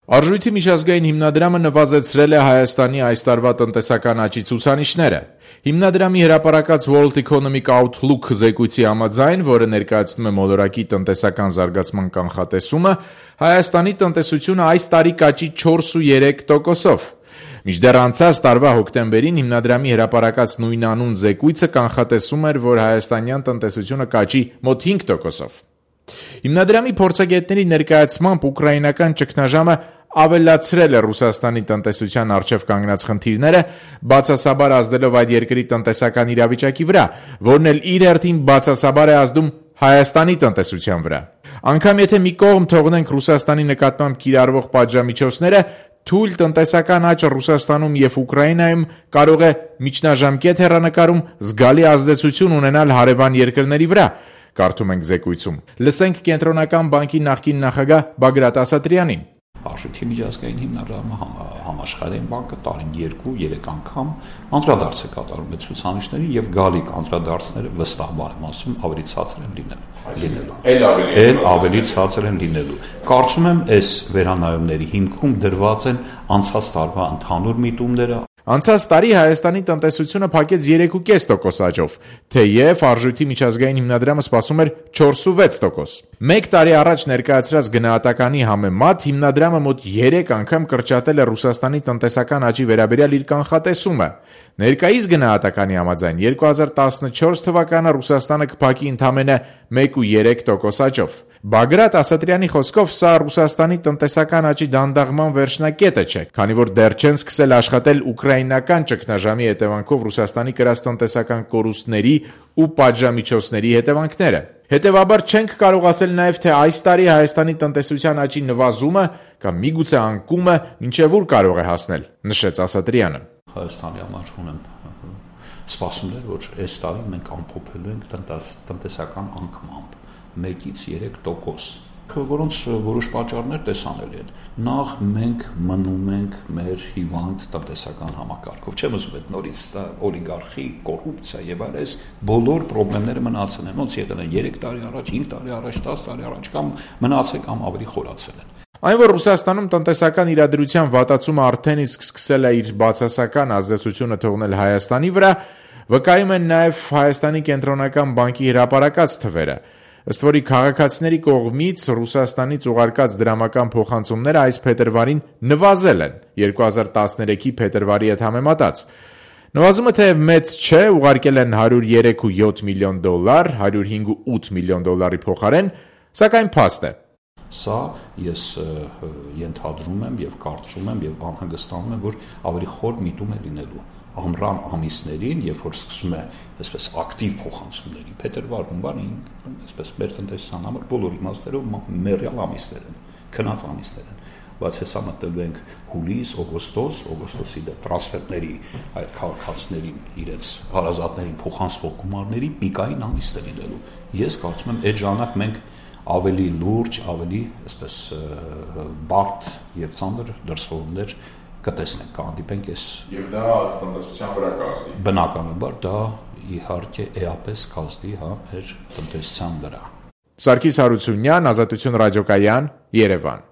Արժույթի միջազգային հիմնադրամը նվազեցրել է Հայաստանի այս տարվա տնտեսական աճի ցուցանիշները։ Հիմնադրամի հրապարակած World Economic Outlook զեկույցի համաձայն, որը ներկայացնում է մոլորակի տնտեսական զարգացման կանխատեսումը, Հայաստանի տնտեսությունը այս տարի կաճի 4,3%-ով։ Մինչդեռ անցած տարվա հոկտեմբերին հիմնադրամի հրապարակած նույնանուն զեկույցը կանխատեսում էր, որ հայաստանյան տնտեսությունը կաճի մոտ 5%-ով։ Հիմնադրամի փորձագետների ներկայացմամբ ուկրաինական ճգնաժամը ավելացրել է Ռուսաստանի տնտեսության առջև կանգնած խնդիրները, բացասաբար ազդելով այդ երկրի տնտեսական իրավիճակի վրա, որն էլ իր հերթին բացասաբար է ազդում Հայաստանի տնտեսության վրա։ Անկամ եթե մի կողմ թողնենք Ռուսաստանի նկատմամբ կիրառվող պատժամիջոցները, թույլ տնտեսական աճը Ռուսաստանում և Ուկրաինայում կարող է միջնաժամկետ հեռանկարում զգալի ազդեցություն ունենալ հարևան երկրների վրա, կարդում ենք զեկույցում։ Լսենք Կենտրոնական բանկի նախկին նախագահ Բագրատ Ասատրյանին։ Արժույթի միջազգային հիմնադրամը համաշխարհային բանկը տարին 2-3 անգամ անդրադարձ է կատարում այդ ցուցանիշներին եւ գալիք անդրադարձները վստահաբար եմ ասում ավելի ցածր են լինելու։ Ավելի ցածր են լինելու։ Կարծում եմ այս վերանայումների հիմքում դրված են անցած տարվա ընդհանուր միտումները։ Անցած տարի Հայաստանի տնտեսությունը փակեց 3,5% աճով, թեև Արժույթի միջազգային հիմնադրամը սպասում էր 4,6%։ Մեկ տարի առաջ ներկայացրած գնահատականի համեմատ հիմնադրամը մոտ 3 անգամ կրճատել է Ռուսաստանի տնտեսական աճի վերաբերյալ իր կանխատեսումը։ Ներկայիս գնահատականի համաձայն 2014 թվականը Ռուսաստանը կփակի ընդամենը 1,3% աճով։ Բագրատ Ասատրյանի խոսքով սա Ռուսաստանի տնտեսական աճի դանդաղման վերջնակետը չէ, քանի որ դեռ չեն սկսել աշխատել ուկրաինական ճգնաժամի հետևանքով Ռուսաստանի կրած տնտեսական կորուստների ու պատժամիջոցների հետևանքները։ Հետևաբար չենք կարող ասել նաև, թե այս տարի Հայաստանի տնտեսության աճի նվազումը կամ միգուցե անկումը մինչև ուր կարող է հասնել, նշեց Ասատրյանը։ Հայաստանի համար ունեմ սպասումներ, որ այս տարի մենք ամփոփելու ենք տնտեսական անկմամբ 1-ից 3%, որոնց որոշ պատճառներ տեսանելի են։ Նախ մենք մնում ենք մեր հիվանդ տնտեսական համակարգով։ Չեմ ասում այդ նորից օլիգարխի, կոռուպցիա եւ այլն, բոլոր խնդիրները մնացել են, ոնց եղել են 3 տարի առաջ, 5 տարի առաջ, 10 տարի առաջ կամ մնացել կամ ավելի խորացել են։ Այն, որ Ռուսաստանում տնտեսական իրադրության վատացումը արդեն իսկ սկսել է իր բացասական ազդեցությունը թողնել Հայաստանի վրա, վկայում են նաև Հայաստանի կենտրոնական բանկի հրապարակած թվերը։ Ըստ որի քաղաքացիների կողմից Ռուսաստանից ուղարկած դրամական փոխանցումները այս փետրվարին նվազել են 2013-ի փետրվարի հետ համեմատած։ Նվազումը թեև մեծ չէ, ուղարկել են $103.7 միլիոն, $105.8 միլիոն փոխարեն, սակայն փաստ է։ Սա ես ենթադրում եմ եւ կարծում եմ եւ անհանգստանում եմ, որ ավելի խոր միտում է լինելու ամռան ամիսներին, երբ որ սկսում է այսպես ակտիվ փոխանցումների փետրվար-հունվարին, այսպես մեր տնտեսության համար բոլոր իմաստերով մեռյալ ամիսներ են, քնած ամիսներ են, բայց հեսա մտնելու ենք հուլիս, օգոստոսի տրանսֆերների այդ քաղաքացիներին իրենց հարազատներին փոխանցվող գումարների պիկային ամիսներ լինելու։ Ես կարծում եմ այդ ժամանակ մենք ավելի լուրջ, ավելի այսպես բարդ եւ ծանր դրսևորումներ կտեսնենք, կհանդիպենք այս։ Եվ դա տնտեսության վրա կազդի։ Բնականաբար դա իհարկե էապես կազդի մեր տնտեսության վրա։ Սարգիս Հարությունյան, Ազատություն ռադիոկայան, Երևան։